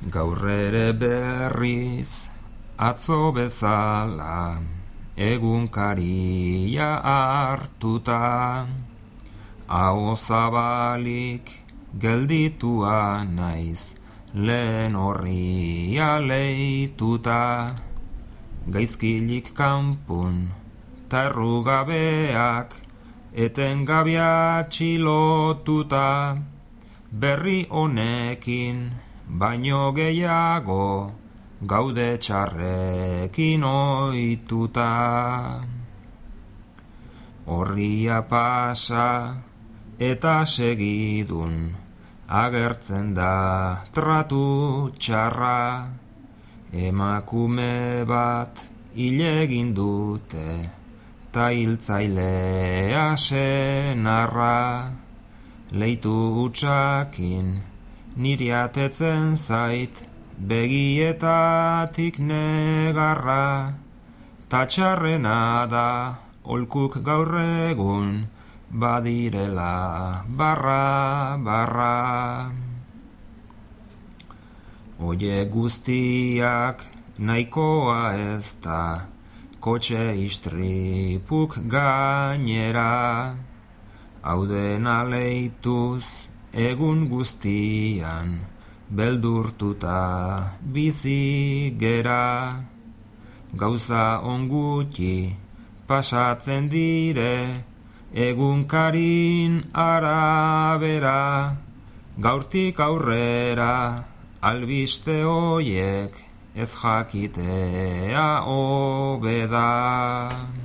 Gaur ere berriz atzo bezala egunkaria hartuta, aho zabalik gelditua naiz lehen horria leituta, gaizkilik kanpun ta errugabeak etengabea txilotuta, berri honekin baino gehiago gaude txarrekin ohituta. Horria pasa eta segidun agertzen da tratu txarra, emakume bat hil egin dute ta hiltzailea senarra, leitu hutsakin niri atetzen zait begietatik negarra, ta txarrena da holkuk gaur egun badirela barra. Oie guztiak nahikoa ez da kotxe istripuk gainera, hau dena leituz egun guztian beldurtuta bizi gera, gauza ongutxi pasatzen dire egunkarin arabera, gaurtik aurrera albiste hoiek ez jakitea hobe da.